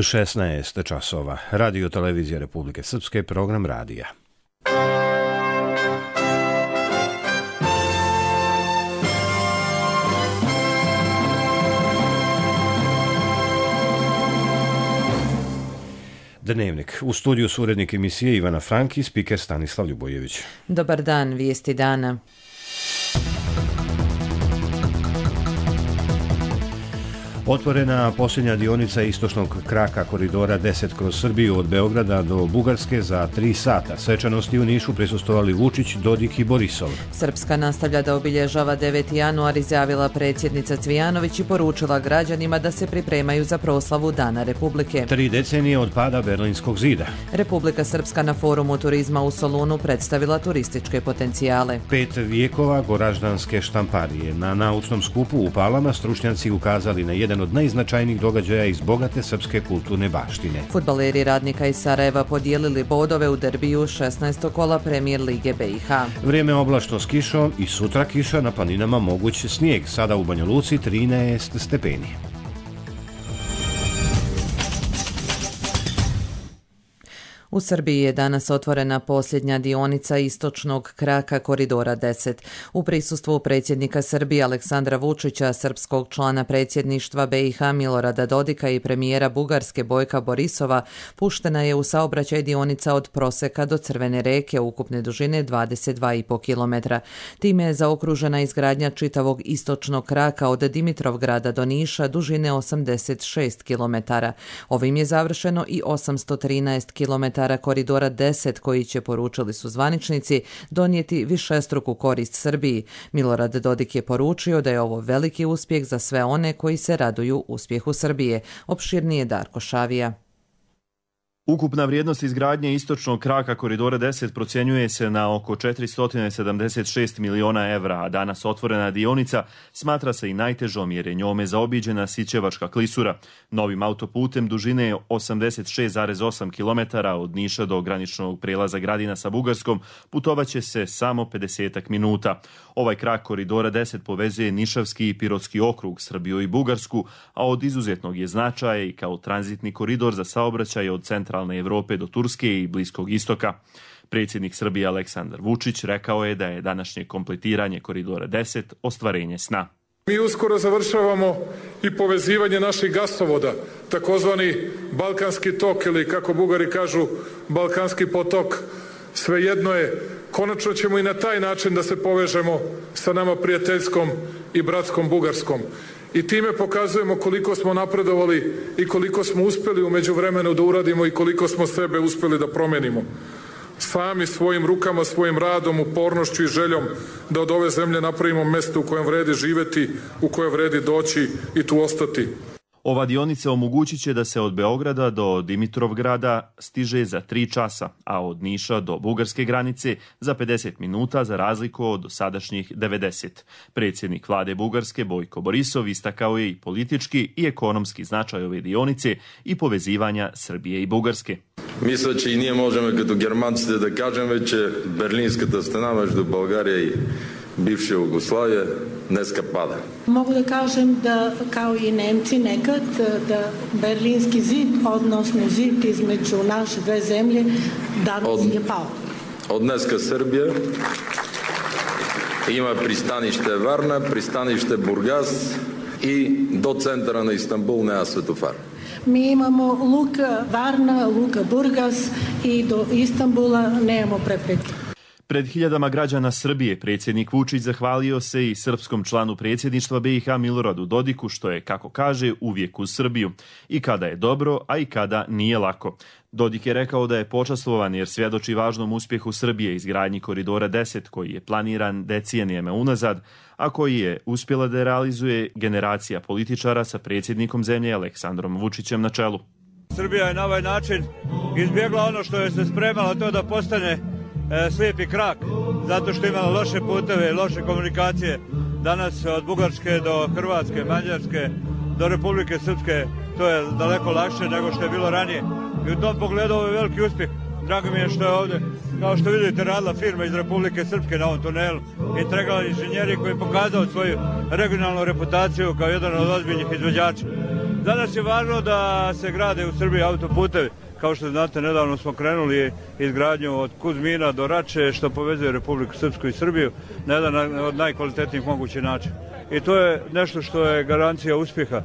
16 časova. Radio televizija Republike Srpske, program radija. Dnevnik. U studiju su urednik emisije Ivana Franki, spiker Stanislav Ljubojević. Dobar dan, vijesti dana. Otvorena posljednja dionica istočnog kraka koridora 10 kroz Srbiju od Beograda do Bugarske za 3 sata. Svečanosti u Nišu prisustvovali Vučić, Dodik i Borisov. Srpska nastavlja da obilježava 9. januar, izjavila predsjednica Cvijanović i poručila građanima da se pripremaju za proslavu Dana Republike. 3 decenije od pada Berlinskog zida. Republika Srpska na forumu turizma u Solunu predstavila turističke potencijale. 5 vijekova goraždanske štamparije. Na naučnom skupu u Palama stručnjaci ukazali na jedan od najznačajnijih događaja iz bogate srpske kulturne baštine. Fudbaleri Radnika iz Sarajeva podijelili bodove u derbiju 16. kola Premijer Lige BiH. Vrijeme oblačno s kišom i sutra kiša, na planinama moguć snijeg. Sada u Banja Luci 13 stepeni. U Srbiji je danas otvorena posljednja dionica istočnog kraka koridora 10. U prisustvu predsjednika Srbije Aleksandra Vučića, srpskog člana predsjedništva BiH Milorada Dodika i premijera Bugarske Bojka Borisova puštena je u saobraćaj dionica od Proseka do Crvene reke ukupne dužine 22,5 km. Time je zaokružena izgradnja čitavog istočnog kraka od Dimitrovgrada do Niša dužine 86 km. Ovim je završeno i 813 km koridora 10 koji će, poručili su zvaničnici, donijeti višestruku korist Srbiji. Milorad Dodik je poručio da je ovo veliki uspjeh za sve one koji se raduju uspjehu Srbije. Opširnije Darko Šavija. Ukupna vrijednost izgradnje istočnog kraka koridora 10 procjenjuje se na oko 476 miliona evra, a danas otvorena dionica smatra se i najtežom jer je njome zaobiđena Sićevačka klisura. Novim autoputem dužine 86,8 km od Niša do graničnog prelaza Gradina sa Bugarskom putovaće se samo 50 minuta. Ovaj krak koridora 10 povezuje Nišavski i Pirotski okrug, Srbiju i Bugarsku, a od izuzetnog je značaja i kao tranzitni koridor za saobraćaj od centralne Evrope do Turske i Bliskog istoka. Predsjednik Srbije Aleksandar Vučić rekao je da je današnje kompletiranje koridora 10 ostvarenje sna. Mi uskoro završavamo i povezivanje naših gasovoda, takozvani Balkanski tok ili kako Bugari kažu Balkanski potok. Svejedno je, konačno ćemo i na taj način da se povežemo sa nama prijateljskom i bratskom Bugarskom. I time pokazujemo koliko smo napredovali i koliko smo uspjeli u međuvremenu da uradimo i koliko smo sebe uspjeli da promenimo. Sami svojim rukama, svojim radom, upornošću i željom da od ove zemlje napravimo mjesto u kojem vredi živjeti, u kojem vredi doći i tu ostati. Ova dionica omogućit će da se od Beograda do Dimitrovgrada stiže za 3 časa, a od Niša do bugarske granice za 50 minuta za razliku od dosadašnjih 90. Predsjednik vlade Bugarske Bojko Borisov istakao je i politički i ekonomski značaj ove dionice i povezivanja Srbije i Bugarske. Мисля, че и ние можем като германците да кажем, че Берлинската стена между България и bivša Jugoslavija dneska pada. Mogu da kažem da, kao i Nemci nekad, da Berlinski zid, odnosno zid između naše dve zemlje, danas je pao. Od dneska Srbija ima pristanište Varna, pristanište Burgas i do centra na Istanbul nema svetofar. Mi imamo luka Varna, luka Burgas i do Istanbula nemamo prepreke. Pred hiljadama građana Srbije predsjednik Vučić zahvalio se i srpskom članu predsjedništva BiH Miloradu Dodiku što je, kako kaže, uvijek uz Srbiju. I kada je dobro, a i kada nije lako. Dodik je rekao da je počastvovan jer svjedoči važnom uspjehu Srbije izgradnji koridora 10 koji je planiran decenijama unazad, a koji je uspjela da realizuje generacija političara sa predsjednikom zemlje Aleksandrom Vučićem na čelu. Srbija je na ovaj način izbjegla ono što je se spremalo, to da postane slijepi krak, zato što imala loše puteve i loše komunikacije. Danas od Bugarske do Hrvatske, Mađarske, do Republike Srpske, to je daleko lakše nego što je bilo ranije. I u tom pogledu ovo je veliki uspjeh. Drago mi je što je ovdje, kao što vidite, radila firma iz Republike Srpske na ovom tunelu. Integral inženjeri koji je pokazao svoju regionalnu reputaciju kao jedan od ozbiljnih izvođača. Za nas je važno da se grade u Srbiji autoputevi. Kao što znate, nedavno smo krenuli izgradnju od Kuzmina do Rače, što povezuje Republiku Srpsku i Srbiju na jedan od najkvalitetnijih mogućih načina. I to je nešto što je garancija uspjeha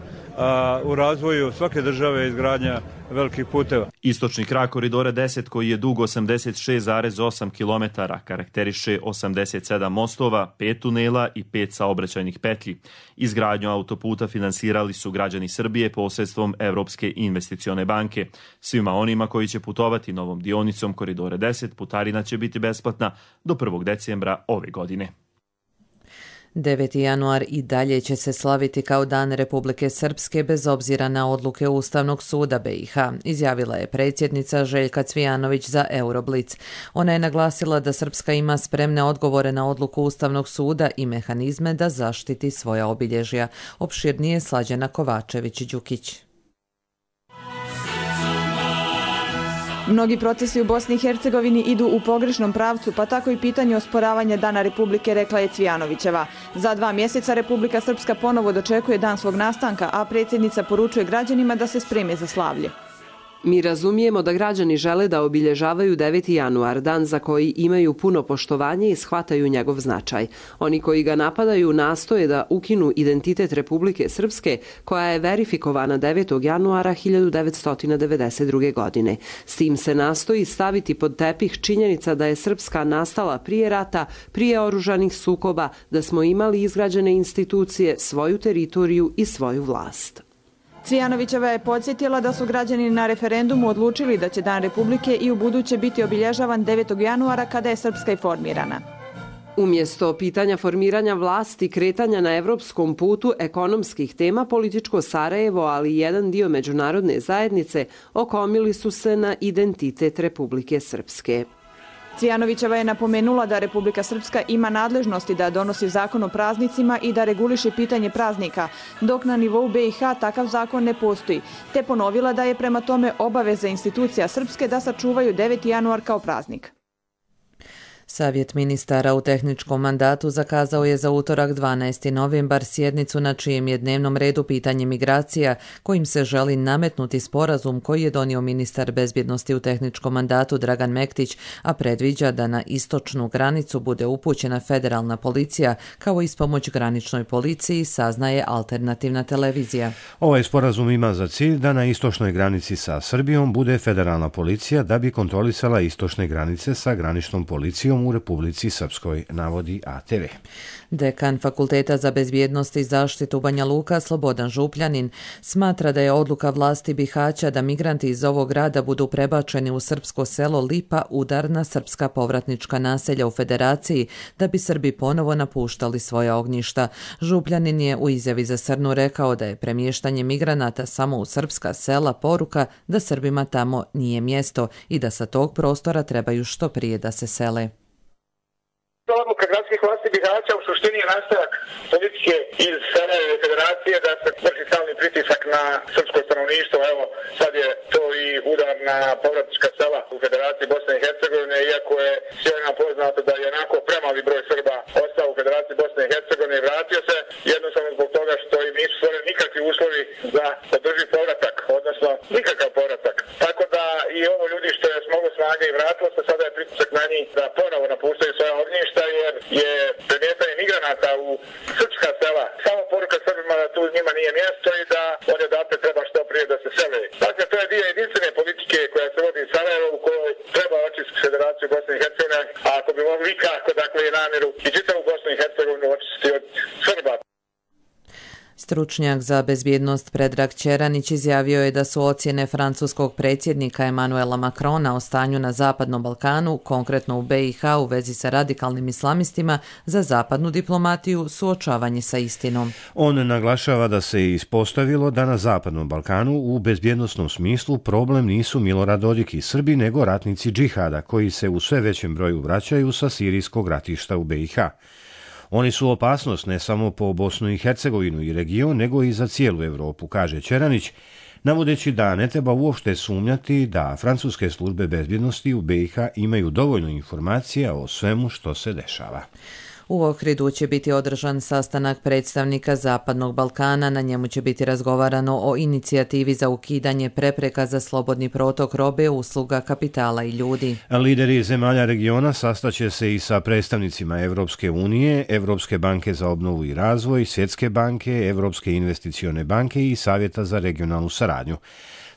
u razvoju svake države, izgradnja velikih puteva. Istočni krak koridora 10, koji je dug 86,8 km, karakteriše 87 mostova, 5 tunela i 5 saobraćajnih petlji. Izgradnju autoputa finansirali su građani Srbije posredstvom Evropske investicione banke. Svima onima koji će putovati novom dionicom koridora 10, putarina će biti besplatna do 1. decembra ove godine. 9. januar i dalje će se slaviti kao Dan Republike Srpske bez obzira na odluke Ustavnog suda BiH, izjavila je predsjednica Željka Cvijanović za Euroblic. Ona je naglasila da Srpska ima spremne odgovore na odluku Ustavnog suda i mehanizme da zaštiti svoja obilježja. Opširnije Slađana Kovačević-Đukić. Mnogi procesi u Bosni i Hercegovini idu u pogrešnom pravcu, pa tako i pitanje osporavanja Dana Republike, rekla je Cvijanovićeva. Za 2 mjeseca Republika Srpska ponovo dočekuje dan svog nastanka, a predsjednica poručuje građanima da se spreme za slavlje. Mi razumijemo da građani žele da obilježavaju 9. januar, dan za koji imaju puno poštovanje i shvataju njegov značaj. Oni koji ga napadaju nastoje da ukinu identitet Republike Srpske, koja je verifikovana 9. januara 1992. godine. S tim se nastoji staviti pod tepih činjenica da je Srpska nastala prije rata, prije oružanih sukoba, da smo imali izgrađene institucije, svoju teritoriju i svoju vlast. Cvijanovićeva je podsjetila da su građani na referendumu odlučili da će Dan Republike i u buduće biti obilježavan 9. januara kada je Srpska i formirana. Umjesto pitanja formiranja vlasti, kretanja na evropskom putu, ekonomskih tema, političko Sarajevo, ali i jedan dio međunarodne zajednice okomili su se na identitet Republike Srpske. Cvijanovićeva je napomenula da Republika Srpska ima nadležnosti da donosi zakon o praznicima i da reguliše pitanje praznika, dok na nivou BiH takav zakon ne postoji, te ponovila da je prema tome obaveza institucija Srpske da sačuvaju 9. januar kao praznik. Savjet ministara u tehničkom mandatu zakazao je za utorak 12. novembar sjednicu na čijem je dnevnom redu pitanje migracija, kojim se želi nametnuti sporazum koji je donio ministar bezbjednosti u tehničkom mandatu Dragan Mektić, a predviđa da na istočnu granicu bude upućena federalna policija kao ispomoć graničnoj policiji, saznaje alternativna televizija. Ovaj sporazum ima za cilj da na istočnoj granici sa Srbijom bude federalna policija da bi kontrolisala istočne granice sa graničnom policijom u Republici Srpskoj, navodi ATV. Dekan Fakulteta za bezbjednost i zaštitu Banja Luka Slobodan Župljanin smatra da je odluka vlasti Bihaća da migranti iz ovog grada budu prebačeni u srpsko selo Lipa udar na srpska povratnička naselja u Federaciji da bi Srbi ponovo napuštali svoja ognjišta. Župljanin je u izjavi za Srnu rekao da je premještanje migranata samo u srpska sela poruka da Srbima tamo nije mjesto i da sa tog prostora trebaju što prije da se sele. Odluka gradskih vlasti Bihaća u suštini je nastavak politike iz Sarajeva i Federacije da se vrši stalni pritisak na srpsko stanovništvo. Evo, sad je to i udar na povratnička sela u Federaciji Bosne i Hercegovine, iako je svima poznato da je onako premali broj Srba ostao u Federaciji Bosne i Hercegovine i vratio se, jednostavno zbog toga što im nisu stvoreni nikakvi uslovi za održiv povratak, odnosno nikakav povratak. Tako da i ovo ljudi što je smoglo snage i vratilo se, sada je pritisak na njih da ponovo napuštaju svoja ognjišta, jer je premještanje migranata u srpska sela samo poruka Srbima da tu njima nije mjesto i da oni odatle treba što prije da se sele. Dakle, to je dio jedinstvene politike koja se vodi iz Sarajeva u kojoj treba očistiti Federaciju Bosne i Hercegovine, a ako bi mogli kako, dakle, i namjeru i čitavu Bosnu i Hercegovinu očistiti od Srba. Stručnjak za bezbjednost Predrag Ćeranić izjavio je da su ocjene francuskog predsjednika Emanuela Macrona o stanju na Zapadnom Balkanu, konkretno u BiH u vezi sa radikalnim islamistima, za zapadnu diplomatiju suočavanje sa istinom. On naglašava da se ispostavilo da na Zapadnom Balkanu u bezbjednosnom smislu problem nisu Milorad Dodik i Srbi, nego ratnici džihada koji se u sve većem broju vraćaju sa sirijskog ratišta u BiH. Oni su opasnost ne samo po Bosnu i Hercegovinu i region, nego i za cijelu Europu, kaže Ćeranić, navodeći da ne treba uopšte sumnjati da francuske službe bezbjednosti u BiH imaju dovoljno informacija o svemu što se dešava. U Ohridu će biti održan sastanak predstavnika Zapadnog Balkana. Na njemu će biti razgovarano o inicijativi za ukidanje prepreka za slobodni protok robe, usluga, kapitala i ljudi. Lideri zemalja regiona sastaće se i sa predstavnicima Evropske unije, Evropske banke za obnovu i razvoj, Svjetske banke, Evropske investicione banke i Savjeta za regionalnu saradnju.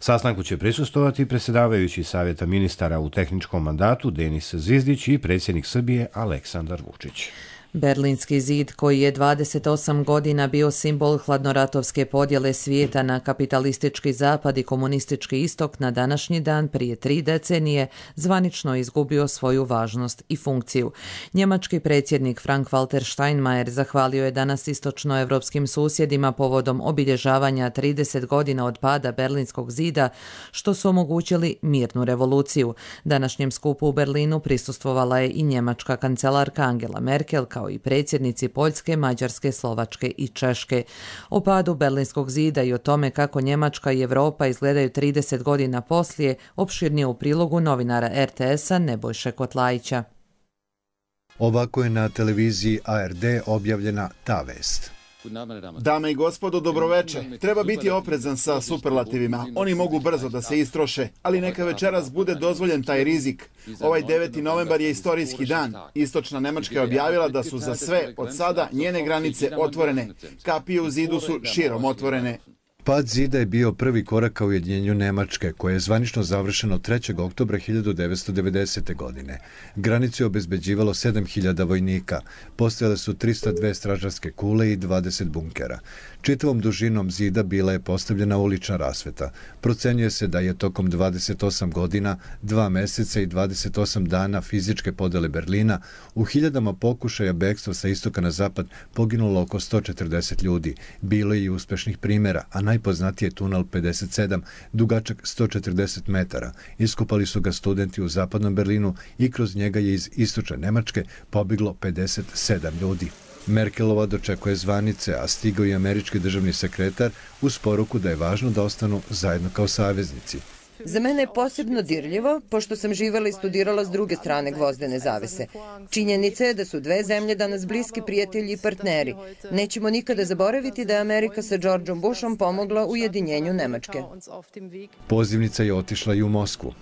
Sastanku će prisustvovati predsjedavajući Savjeta ministara u tehničkom mandatu Denis Zvizdić i predsjednik Srbije Aleksandar Vučić. Berlinski zid, koji je 28 godina bio simbol hladnoratovske podjele svijeta na kapitalistički zapad i komunistički istok, na današnji dan prije 3 decenije zvanično izgubio svoju važnost i funkciju. Njemački predsjednik Frank-Walter Steinmeier zahvalio je danas istočnoevropskim susjedima povodom obilježavanja 30 godina od pada Berlinskog zida, što su omogućili mirnu revoluciju. Današnjem skupu u Berlinu prisustvovala je i njemačka kancelarka Angela Merkel, kao i predsjednici Poljske, Mađarske, Slovačke i Češke. O padu Berlinskog zida i o tome kako Njemačka i Europa izgledaju 30 godina poslije, opširnije u prilogu novinara RTS-a Nebojše Kotlajića. Ovako je na televiziji ARD objavljena ta vest. Dame i gospodo, dobroveče. Treba biti oprezan sa superlativima. Oni mogu brzo da se istroše, ali neka večeras bude dozvoljen taj rizik. Ovaj 9. novembar je istorijski dan. Istočna Nemačka je objavila da su za sve od sada njene granice otvorene. Kapije u zidu su širom otvorene. Pad zida je bio prvi korak ka ujedinjenju Nemačke, koje je zvanično završeno 3. oktobra 1990. godine. Granicu je obezbeđivalo 7000 vojnika. Postojale su 302 stražarske kule i 20 bunkera. Čitavom dužinom zida bila je postavljena ulična rasveta. Procenjuje se da je tokom 28 godina, 2 meseca i 28 dana fizičke podele Berlina u hiljadama pokušaja bekstva sa istoka na zapad poginulo oko 140 ljudi. Bilo je i uspešnih primjera, a najpoznatiji je tunel 57, dugačak 140 metara. Iskopali su ga studenti u zapadnom Berlinu i kroz njega je iz istočne Nemačke pobjeglo 57 ljudi. Merkelova dočekuje zvanice, a stigao i američki državni sekretar uz poruku da je važno da ostanu zajedno kao saveznici. Za mene je posebno dirljivo, pošto sam živjela i studirala s druge strane gvozdene zavese. Činjenica je da su dve zemlje danas bliski prijatelji i partneri. Nećemo nikada zaboraviti da je Amerika sa Georgeom Bushom pomogla ujedinjenju Nemačke. Pozivnica je otišla i u Moskvu.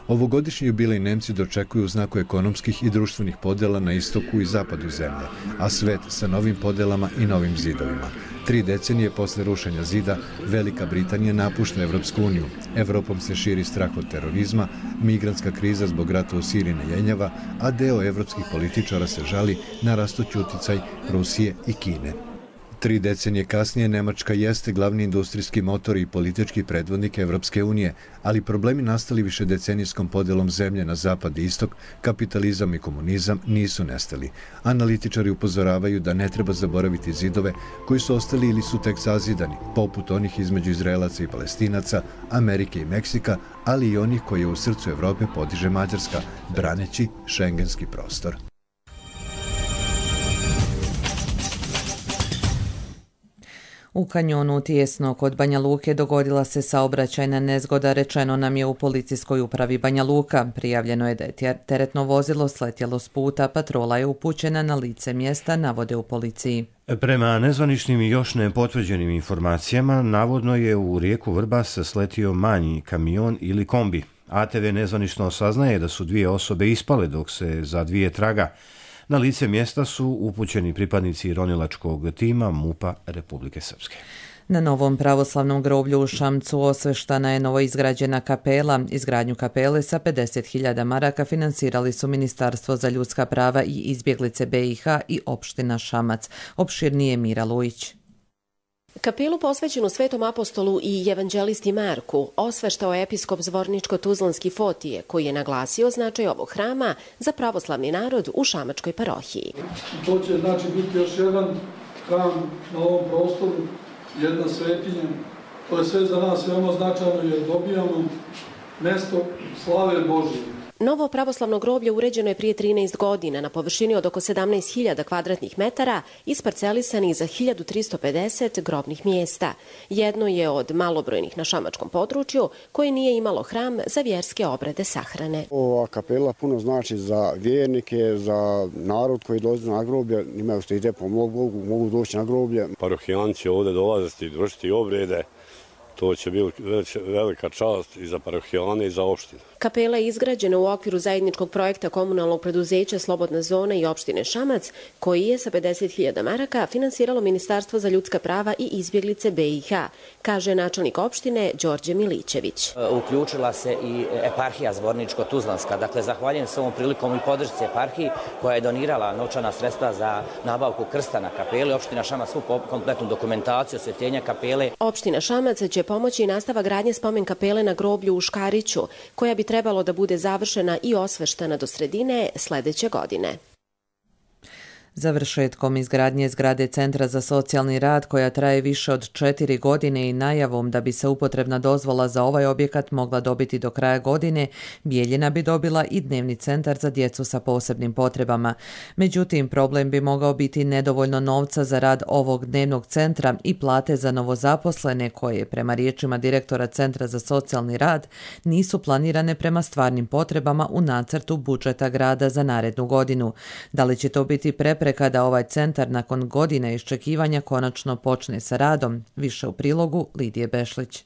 Ovogodišnji jubilej Nemci dočekuju u znaku ekonomskih i društvenih podjela na istoku i zapadu zemlje, a svet sa novim podelama i novim zidovima. 3 decenije posle rušenja zida, Velika Britanija napušta Evropsku uniju. Evropom se širi strah od terorizma, migrantska kriza zbog rata u Siriji ne jenjava, a deo evropskih političara se žali na rastući uticaj Rusije i Kine. 3 decenije kasnije Nemačka jeste glavni industrijski motor i politički predvodnik Evropske unije, ali problemi nastali višedecenijskom podelom zemlje na zapad i istok, kapitalizam i komunizam nisu nestali. Analitičari upozoravaju da ne treba zaboraviti zidove koji su ostali ili su tek sazidani, poput onih između Izraelaca i Palestinaca, Amerike i Meksika, ali i onih koje u srcu Evrope podiže Mađarska, braneći šengenski prostor. U kanjonu Tijesno kod Banja Luke dogodila se saobraćajna nezgoda, rečeno nam je u policijskoj upravi Banja Luka. Prijavljeno je da je teretno vozilo sletjelo s puta, patrola je upućena na lice mjesta, navode u policiji. Prema nezvaničnim i još nepotvrđenim informacijama, navodno je u rijeku Vrbas sletio manji kamion ili kombi. ATV nezvanično saznaje da su 2 osobe ispale dok se za 2 traga. Na lice mjesta su upućeni pripadnici ronilačkog tima MUP-a Republike Srpske. Na novom pravoslavnom groblju u Šamcu osveštana je novoizgrađena kapela. Izgradnju kapele sa 50.000 maraka finansirali su Ministarstvo za ljudska prava i izbjeglice BiH i opština Šamac. Opširnije Mira Lujić. Kapelu posvećenu Svetom apostolu i evanđelisti Marku osveštao je episkop Zvorničko-Tuzlanski Fotije, koji je naglasio značaj ovog hrama za pravoslavni narod u šamačkoj parohiji. To će znači biti još jedan hram na ovom prostoru, jedna svetinja. To je sve za nas veoma značajno jer dobijamo mesto slave Božje. Novo pravoslavno groblje uređeno je prije 13 godina na površini od oko 17.000 kvadratnih metara, isparcelisani za 1350 grobnih mjesta. Jedno je od malobrojnih na šamačkom području koje nije imalo hram za vjerske obrede sahrane. Ova kapela puno znači za vjernike, za narod koji dolazi na groblje, imaju što ide po mogu doći na groblje. Parohijani će ovdje dolaziti i vršiti obrede. To će biti velika čast i za parohijane i za opštinu. Kapela je izgrađena u okviru zajedničkog projekta komunalnog preduzeća Slobodna zona i opštine Šamac, koji je sa 50.000 maraka finansiralo Ministarstvo za ljudska prava i izbjeglice BiH, kaže načelnik opštine Đorđe Milićević. Uključila se i eparhija Zvorničko-Tuzlanska. Dakle, zahvaljujem se ovom prilikom i podršci eparhiji koja je donirala novčana sredstva za nabavku krsta na kapeli. Opština Šamac svu kompletnu dokumentaciju osvjetljenja kapele. Opština Šamac će pomoći i nastava gradnje spomen kapele na groblju u Škariću, koja bi trebalo da bude završena i osveštena do sredine sljedeće godine. Završetkom izgradnje zgrade Centra za socijalni rad, koja traje više od 4 godine i najavom da bi se upotrebna dozvola za ovaj objekat mogla dobiti do kraja godine, Bijeljina bi dobila i dnevni centar za djecu sa posebnim potrebama. Međutim, problem bi mogao biti nedovoljno novca za rad ovog dnevnog centra i plate za novozaposlene koje, prema riječima direktora Centra za socijalni rad, nisu planirane prema stvarnim potrebama u nacrtu budžeta grada za narednu godinu. Da li će to biti prepreka kada ovaj centar nakon godina iščekivanja konačno počne sa radom? Više u prilogu Lidije Bešlić.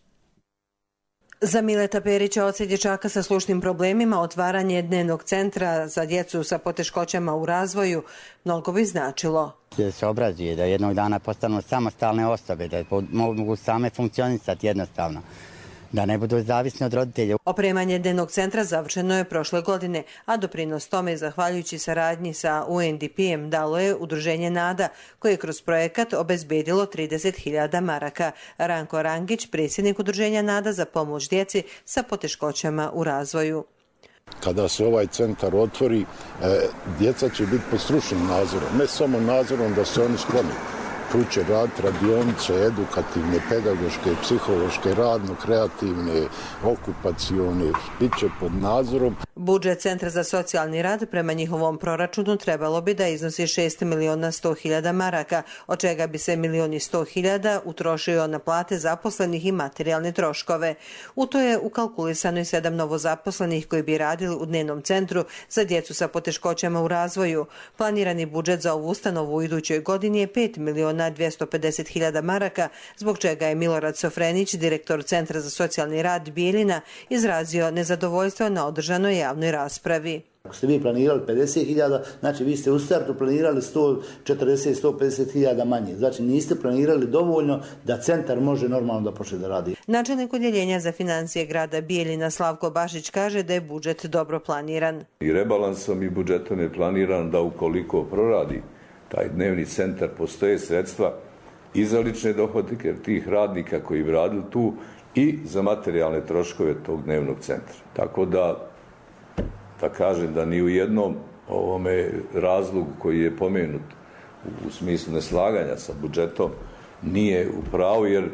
Za Mileta Perića, oca dječaka sa slušnim problemima, otvaranje dnevnog centra za djecu sa poteškoćama u razvoju mnogo bi značilo. Da se obrazuje, da jednog dana postanu samostalne osobe, da mogu same funkcionisati jednostavno, da ne budu zavisni od roditelja. Opremanje dnevnog centra završeno je prošle godine, a doprinos tome, zahvaljujući saradnji sa UNDP-em, dalo je Udruženje NADA, koje je kroz projekat obezbedilo 30.000 maraka. Ranko Rangić, predsjednik Udruženja NADA za pomoć djeci sa poteškoćama u razvoju. Kada se ovaj centar otvori, djeca će biti pod stručnim nadzorom, ne samo nadzorom da se oni skloni. Tu će raditi radionice, edukativne, pedagoške, psihološke, radno-kreativne, okupacione, bit će pod nadzorom. Budžet Centra za socijalni rad prema njihovom proračunu trebalo bi da iznosi 6.100.000 maraka, od čega bi se 1.100.000 utrošio na plate zaposlenih i materijalne troškove. U to je ukalkulisano i 7 novozaposlenih koji bi radili u dnevnom centru za djecu sa poteškoćama u razvoju. Planirani budžet za ovu ustanovu u idućoj godini je 5.250.000 maraka, zbog čega je Milorad Sofrenić, direktor Centra za socijalni rad Bijeljina, izrazio nezadovoljstvo na održanoj javnoj raspravi. Ako ste vi planirali 50.000, znači vi ste u startu planirali 140-150.000 manje. Znači niste planirali dovoljno da centar može normalno da počne da radi. Načelnik odjeljenja za financije grada Bijeljina Slavko Bašić kaže da je budžet dobro planiran. I rebalansom i budžetom je planiran da ukoliko proradi taj dnevni centar, postoje sredstva i za lične dohodke tih radnika koji bi radili tu i za materijalne troškove tog dnevnog centra. Tako da kažem da ni u jednom ovome razlogu koji je pomenut u smislu neslaganja sa budžetom nije u pravu, jer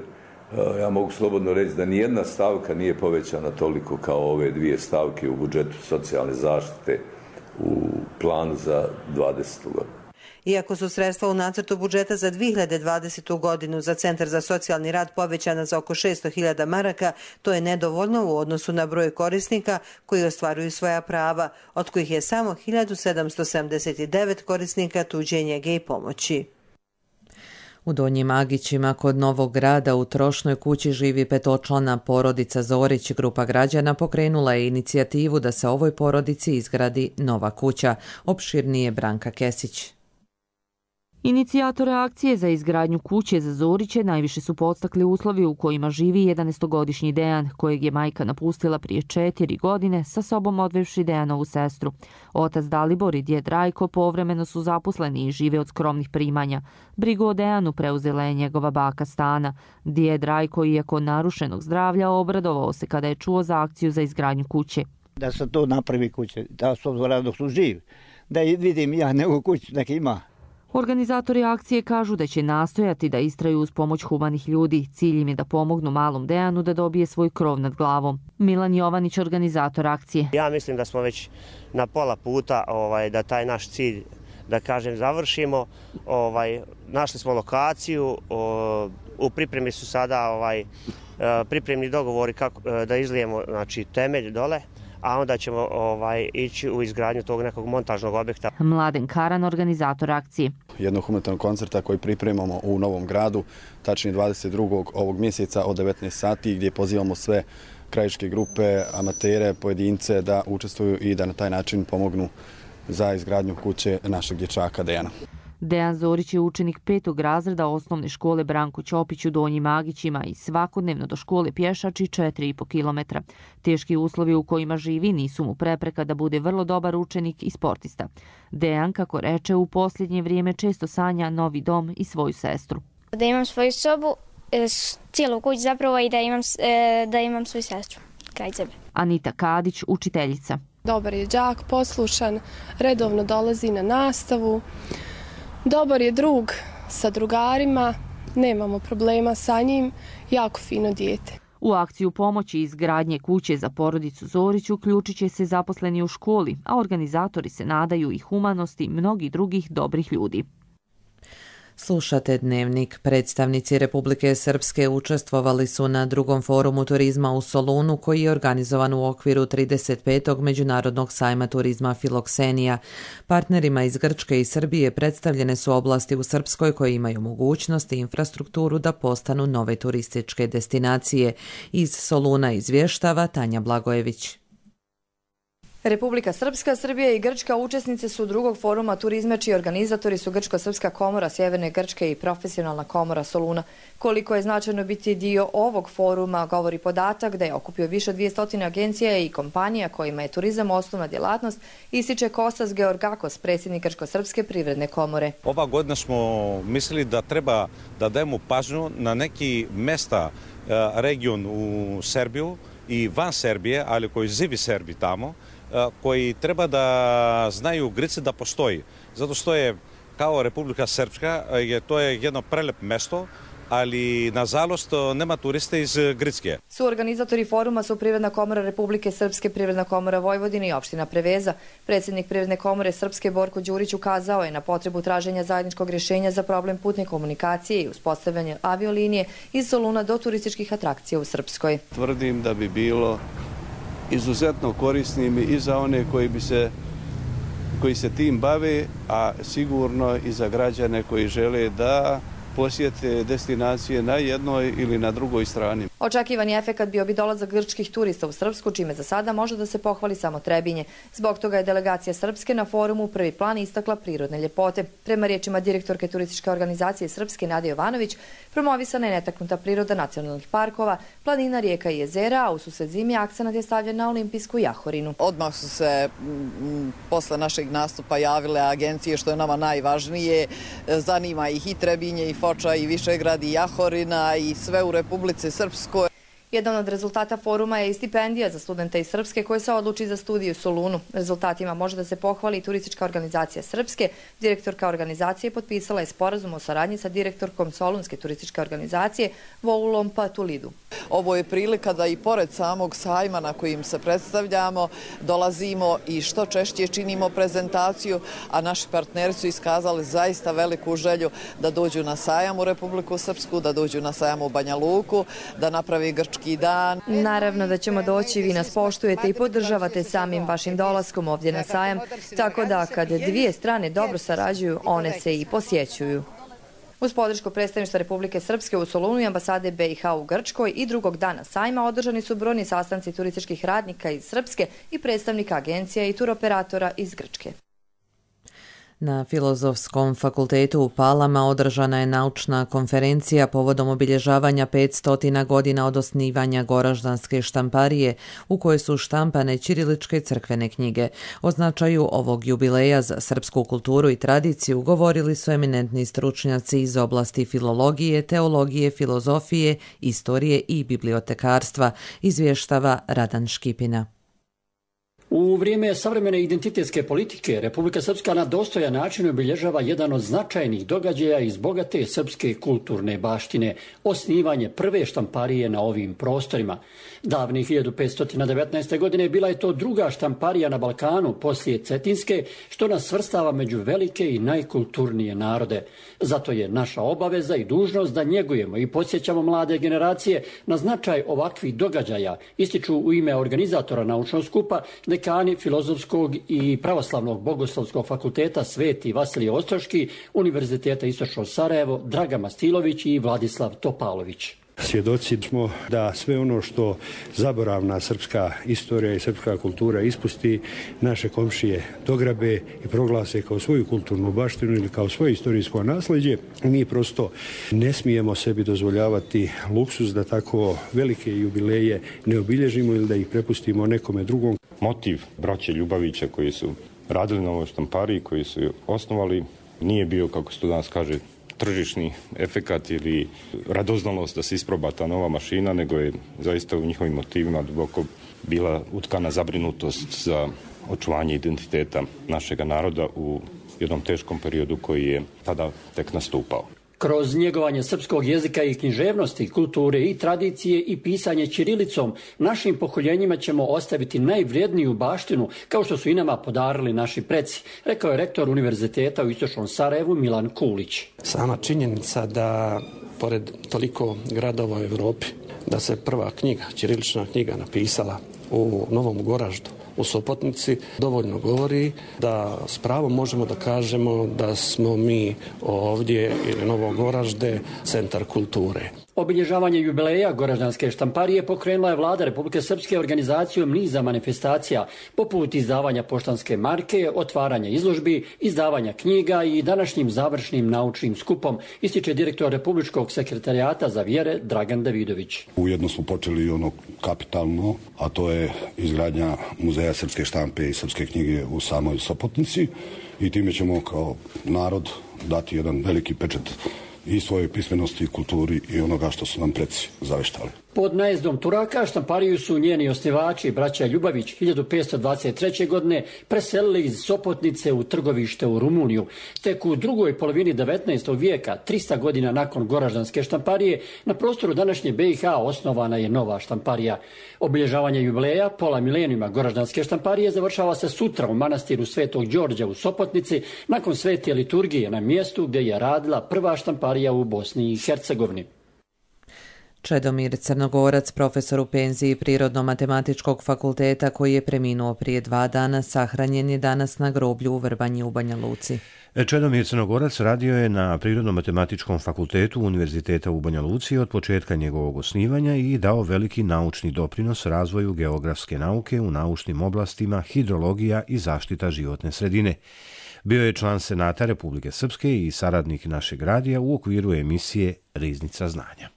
ja mogu slobodno reći da nijedna stavka nije povećana toliko kao ove dvije stavke u budžetu socijalne zaštite u planu za 20. godinu. Iako su sredstva u nacrtu budžeta za 2020. godinu za Centar za socijalni rad povećana za oko 600.000 maraka, to je nedovoljno u odnosu na broj korisnika koji ostvaruju svoja prava, od kojih je samo 1779 korisnika tuđe njege i pomoći. U Donjim Agićima kod Novog Grada u trošnoj kući živi petočlana porodica Zorić. Grupa građana pokrenula je inicijativu da se ovoj porodici izgradi nova kuća. Opširnije Branka Kesić. Inicijatore akcije za izgradnju kuće za Zoriće najviše su podstakli uslovi u kojima živi 11-godišnji Dejan, kojeg je majka napustila prije 4 godine, sa sobom odvevši Dejanovu sestru. Otac Dalibor i djed Rajko povremeno su zaposleni i žive od skromnih primanja. Brigu o Dejanu preuzela je njegova baka Stana. Djed Rajko, iako narušenog zdravlja, obradovao se kada je čuo za akciju za izgradnju kuće. Da se to napravi kuće, da su dok su živi, da vidim ja nego kuću nek ima. Organizatori akcije kažu da će nastojati da istraju uz pomoć humanih ljudi. Cilj im je da pomognu malom Dejanu da dobije svoj krov nad glavom. Milan Jovanić, organizator akcije. Ja mislim da smo već na pola puta da taj naš cilj, da kažem, završimo. Našli smo lokaciju, u pripremi su sada pripremni dogovori kako da izlijemo, znači, temelj dole, a onda ćemo ići u izgradnju tog nekog montažnog objekta. Mladen Karan, organizator akcije. Jednog humanitarnog koncerta koji pripremamo u Novom Gradu, tačnije 22. ovog mjeseca od 19 sati, gdje pozivamo sve krajiške grupe, amatere, pojedince da učestvuju i da na taj način pomognu za izgradnju kuće našeg dječaka Dejana. Dejan Zorić je učenik 5. razreda osnovne škole Branko Ćopić u Donjim Agićima i svakodnevno do škole pješači 4,5 kilometra. Teški uslovi u kojima živi nisu mu prepreka da bude vrlo dobar učenik i sportista. Dejan, kako reče, u posljednje vrijeme često sanja novi dom i svoju sestru. Da imam svoju sobu, cijelu kuću zapravo, i da imam svoju sestru kraj sebe. Anita Kadić, učiteljica. Dobar je đak, poslušan, redovno dolazi na nastavu. Dobar je drug sa drugarima, nemamo problema sa njim, jako fino dijete. U akciju pomoći izgradnje kuće za porodicu Zorić uključit će se zaposleni u školi, a organizatori se nadaju i humanosti mnogih drugih dobrih ljudi. Slušate Dnevnik. Predstavnici Republike Srpske učestvovali su na drugom forumu turizma u Solunu, koji je organizovan u okviru 35. Međunarodnog sajma turizma Filoksenija. Partnerima iz Grčke i Srbije predstavljene su oblasti u Srpskoj koje imaju mogućnost i infrastrukturu da postanu nove turističke destinacije. Iz Soluna izvještava Tanja Blagojević. Republika Srpska, Srbija i Grčka učesnice su drugog foruma turizma, čiji organizatori su Grčko-Srpska komora Sjeverne Grčke i Profesionalna komora Soluna. Koliko je značajno biti dio ovog foruma, govori podatak da je okupio više od 200 agencija i kompanija kojima je turizam osnovna djelatnost, ističe Kostas Georgakos, predsjednik Grčko-Srpske privredne komore. Ova godina smo mislili da treba da dajemo pažnju na neki mesta, region u Srbiju i van Srbije, ali koji živi Srbi tamo, koji treba da znaju Grci da postoji. Zato što je kao Republika Srpska, to je jedno prelep mesto, ali nažalost nema turiste iz Grčke. Suorganizatori foruma su Privredna komora Republike Srpske, Privredna komora Vojvodine i opština Preveza. Predsjednik Privredne komore Srpske Borko Đurić ukazao je na potrebu traženja zajedničkog rješenja za problem putne komunikacije i uspostavljanje aviolinije iz Soluna do turističkih atrakcija u Srpskoj. Tvrdim da bi bilo izuzetno korisnim i za one koji se tim bave, a sigurno i za građane koji žele da posjete destinacije na jednoj ili na drugoj strani. Očekivani efekat bio bi dolazak grčkih turista u Srpsku, čime za sada može da se pohvali samo Trebinje. Zbog toga je delegacija Srpske na forumu u prvi plan istakla prirodne ljepote. Prema riječima direktorke turističke organizacije Srpske Nade Jovanović, promovisana je netaknuta priroda nacionalnih parkova, planina, rijeka i jezera, a u susret zimi akcenat je stavljen na olimpijsku jahorinu. Odmah su se posle našeg nastupa javile agencije, što je nama najvažnije. Zanima ih i Trebinje, i Foča, i Višegrad, i Jahorina, i sve u Republici Srpskoj. Jedan od rezultata foruma je i stipendija za studente iz Srpske koji se odluči za studiju u Solunu. Rezultatima može da se pohvali i turistička organizacija Srpske. Direktorka organizacije potpisala je sporazum o saradnji sa direktorkom Solunske turističke organizacije Voulom Patulidu. Ovo je prilika da i pored samog sajma na kojim se predstavljamo dolazimo i što češće činimo prezentaciju, a naši partneri su iskazali zaista veliku želju da dođu na sajam u Republiku Srpsku, da dođu na sajam u Banja Luku, da napravi grčki dan. Naravno da ćemo doći, vi nas poštujete i podržavate samim vašim dolaskom ovdje na sajam, tako da kad dvije strane dobro sarađuju, one se i posjećuju. Uz podršku predstavništva Republike Srpske u Solunu i ambasade BiH u Grčkoj i drugog dana sajma održani su brojni sastanci turističkih radnika iz Srpske i predstavnika agencija i turoperatora iz Grčke. Na Filozofskom fakultetu u Palama održana je naučna konferencija povodom obilježavanja 500 godina od osnivanja Goraždanske štamparije, u kojoj su štampane ćiriličke crkvene knjige. O značaju ovog jubileja za srpsku kulturu i tradiciju govorili su eminentni stručnjaci iz oblasti filologije, teologije, filozofije, istorije i bibliotekarstva, izvještava Radan Škipina. U vrijeme savremene identitetske politike Republika Srpska na dostojan način obilježava jedan od značajnih događaja iz bogate srpske kulturne baštine, osnivanje prve štamparije na ovim prostorima. Davne 1519. godine bila je to druga štamparija na Balkanu poslije Cetinske, što nas svrstava među velike i najkulturnije narode. Zato je naša obaveza i dužnost da njegujemo i podsjećamo mlade generacije na značaj ovakvih događaja, ističu u ime organizatora naučnog skupa dekani Filozofskog i Pravoslavnog bogoslovskog fakulteta Sveti Vasilije Ostroški, Univerziteta Istočno Sarajevo, Draga Mastilović i Vladislav Topalović. Svjedoci smo da sve ono što zaboravna srpska istorija i srpska kultura ispusti, naše komšije dograbe i proglase kao svoju kulturnu baštinu ili kao svoje istorijsko nasljeđe. Mi prosto ne smijemo sebi dozvoljavati luksuz da tako velike jubileje ne obilježimo ili da ih prepustimo nekome drugom. Motiv braće Ljubavića koji su radili na ovoj štampariji, koji su osnovali, nije bio, kako se to danas kaže, tržišni efekat ili radoznalost da se isproba ta nova mašina, nego je zaista u njihovim motivima duboko bila utkana zabrinutost za očuvanje identiteta našega naroda u jednom teškom periodu koji je tada tek nastupao. Kroz njegovanje srpskog jezika i književnosti, kulture i tradicije i pisanje ćirilicom, našim pokoljenjima ćemo ostaviti najvrijedniju baštinu, kao što su i nama podarili naši preci, rekao je rektor Univerziteta u Istočnom Sarajevu Milan Kulić. Sama činjenica da, pored toliko gradova u Europi, da se prva knjiga, ćirilična knjiga napisala u Novom Goraždu, u Sopotnici, dovoljno govori da s pravom možemo da kažemo da smo mi ovdje ili Novo Goražde centar kulture. Obilježavanje jubileja Goraždanske štamparije pokrenula je Vlada Republike Srpske organizacijom niza manifestacija, poput izdavanja poštanske marke, otvaranja izložbi, izdavanja knjiga i današnjim završnim naučnim skupom, ističe direktor Republičkog sekretarijata za vjere Dragan Davidović. Ujedno smo počeli ono kapitalno, a to je izgradnja muzeja srpske štampe i srpske knjige u samoj Sopotnici i time ćemo kao narod dati jedan veliki pečat i svoje pismenosti, kulturi i onoga što su nam preci zaveštali. Pod najezdom Turaka štampariju su njeni osnivači, braća Ljubavić, 1523. godine preselili iz Sopotnice u Trgovište u Rumuniju. Tek u drugoj polovini 19. vijeka, 300 godina nakon Goraždanske štamparije, na prostoru današnje BiH osnovana je nova štamparija. Obilježavanje jubileja, pola milenijuma Goraždanske štamparije, završava se sutra u manastiru Svetog Đorđa u Sopotnici, nakon svete liturgije na mjestu gdje je radila prva štamparija u Bosni i Hercegovini. Čedomir Crnogorac, profesor u penziji Prirodno-matematičkog fakulteta koji je preminuo prije 2 dana, sahranjen je danas na groblju u Vrbanji u Banja Luci. Čedomir Crnogorac radio je na Prirodno-matematičkom fakultetu Univerziteta u Banja Luci od početka njegovog osnivanja i dao veliki naučni doprinos razvoju geografske nauke u naučnim oblastima hidrologija i zaštita životne sredine. Bio je član Senata Republike Srpske i saradnik našeg radija u okviru emisije Riznica znanja.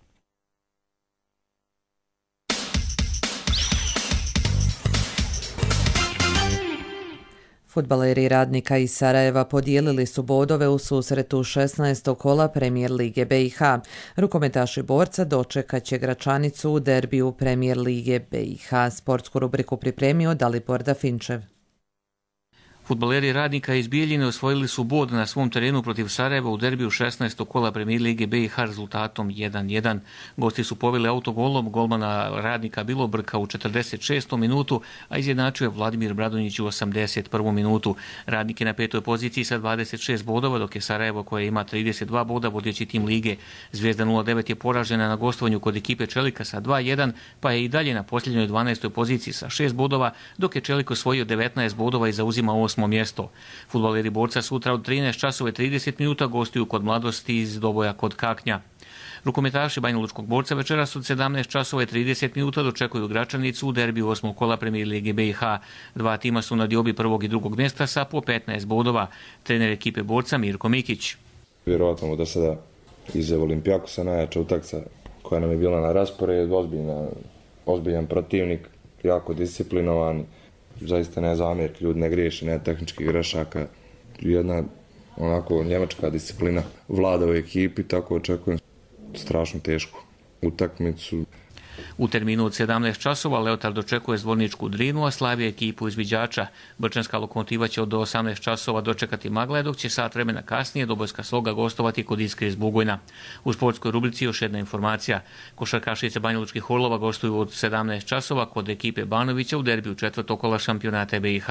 Fudbaleri Radnika iz Sarajeva podijelili su bodove u susretu 16. kola Premijer Lige BiH. Rukometaši Borca dočekat će Gračanicu u derbiju Premijer Lige BiH. Sportsku rubriku pripremio Dalibor Dafinčev. Fudbaleri Radnika iz Bijeljine osvojili su bod na svom terenu protiv Sarajeva u derbiju 16. kola Premijer Lige BiH rezultatom 1:1. Gosti su poveli autogolom golmana Radnika Bilobrka u 46. minutu, a izjednačio je Vladimir Bradonjić u 81. minutu. Radnik je na 5. poziciji sa 26 bodova, dok je Sarajevo, koje ima 32 boda, vodeći tim lige. Zvijezda 09 je poražena na gostovanju kod ekipe Čelika sa 2:1, pa je i dalje na posljednjoj 12. poziciji sa 6 bodova, dok je Čelik osvojio 19 bodova i zauzima 8. mjesto. Fudbaleri Borca sutra od 13:30 gostuju kod Mladosti iz Doboja kod Kaknja. Rukometaši Banjalučkog Borca večeras od 17:30 dočekuju Gračanicu u derbiju 8. kola Premijer Lige BiH. Dva tima su na diobi 1. i 2. mjesta sa po 15 bodova. Trener ekipe Borca Mirko Mikić. Vjerovatno do sada iz Olimpijakosa najjača utakmica koja nam je bila na rasporedu, ozbiljan protivnik, jako disciplinovan. Zaista ne zamjerki, ljudi ne griješi, ne tehničkih grešaka. Jedna onako njemačka disciplina vlada u ekipi, tako očekujem strašno tešku utakmicu. U terminu od 17 časova Leotard dočekuje Zvorničku Drinu, a Slavija ekipu izviđača. Brčanska Lokomotiva će do 18 časova dočekati Magle, dok će sat vremena kasnije Dobojska Sloga gostovati kod Iskre iz Bugojna. U sportskoj rubrici još jedna informacija. Košarkašice Banjalučkih Orlova gostuju od 17 časova kod ekipe Banovića u derbiju četvrtog kola šampionata BiH.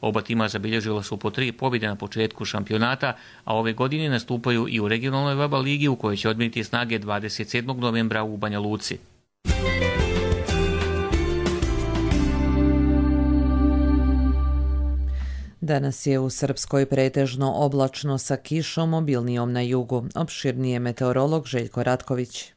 Oba tima zabilježila su po 3 pobjede na početku šampionata, a ove godine nastupaju i u regionalnoj VABA ligi u kojoj će odmjeriti snage 27. novembra u Banja Luci. Danas je u Srpskoj pretežno oblačno sa kišom, obilnijom na jugu. Opširnije meteorolog Željko Ratković.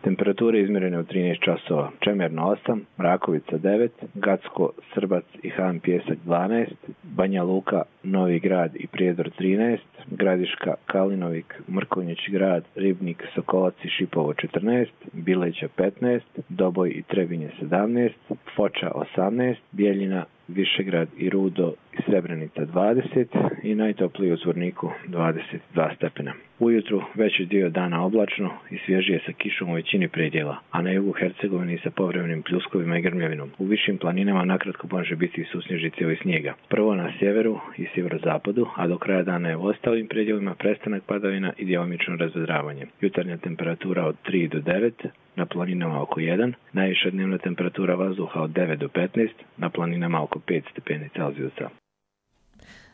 Temperature izmjerene u 13 časova. Čemerno 8, Rakovica 9, Gacko, Srbac i Han Pjesak 12, Banja Luka, Novi Grad i Prijedor 13, Gradiška, Kalinovik, Mrkonjić Grad, Ribnik, Sokolac i Šipovo 14, Bileća 15, Doboj i Trebinje 17, Foča 18, Bijeljina, Višegrad i Rudo i Srebrenica 20 i najtopliji u Zvorniku 22 stepena. Ujutru veći dio dana oblačno i svježije sa kišom u većini predjela, a na jugu Hercegovini sa povremenim pljuskovima i grmljavinom. U višim planinama nakratko može biti i susnježice i snijega. Prvo na sjeveru i sjeverozapadu, a do kraja dana je u ostalim predjelima prestanak padavina i djelomično razvedravanje. Jutarnja temperatura od 3 do 9, na planinama oko 1, najviša dnevna temperatura vazduha od 9 do 15, na planinama oko 5 stepeni Celzijusa.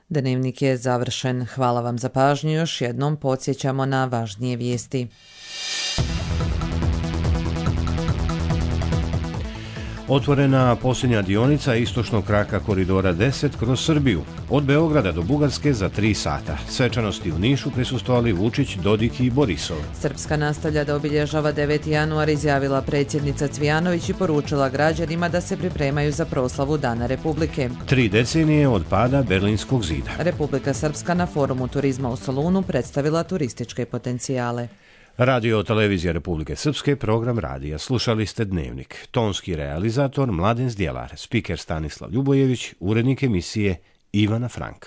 Dnevnik je završen. Hvala vam za pažnju. Još jednom podsjećamo na važnije vijesti. Otvorena posljednja dionica istočnog kraka koridora 10 kroz Srbiju, od Beograda do Bugarske za 3 sata. Svečanosti u Nišu prisustvovali Vučić, Dodik i Borisov. Srpska nastavlja da obilježava 9. januar, izjavila predsjednica Cvijanović i poručila građanima da se pripremaju za proslavu Dana Republike. 3 decenije od pada Berlinskog zida. Republika Srpska na forumu turizma u Solunu predstavila turističke potencijale. Radio Televizija Republike Srpske, program radija. Slušali ste Dnevnik. Tonski realizator Mladen Zdjelar, spiker Stanislav Ljubojević, urednik emisije Ivana Frank.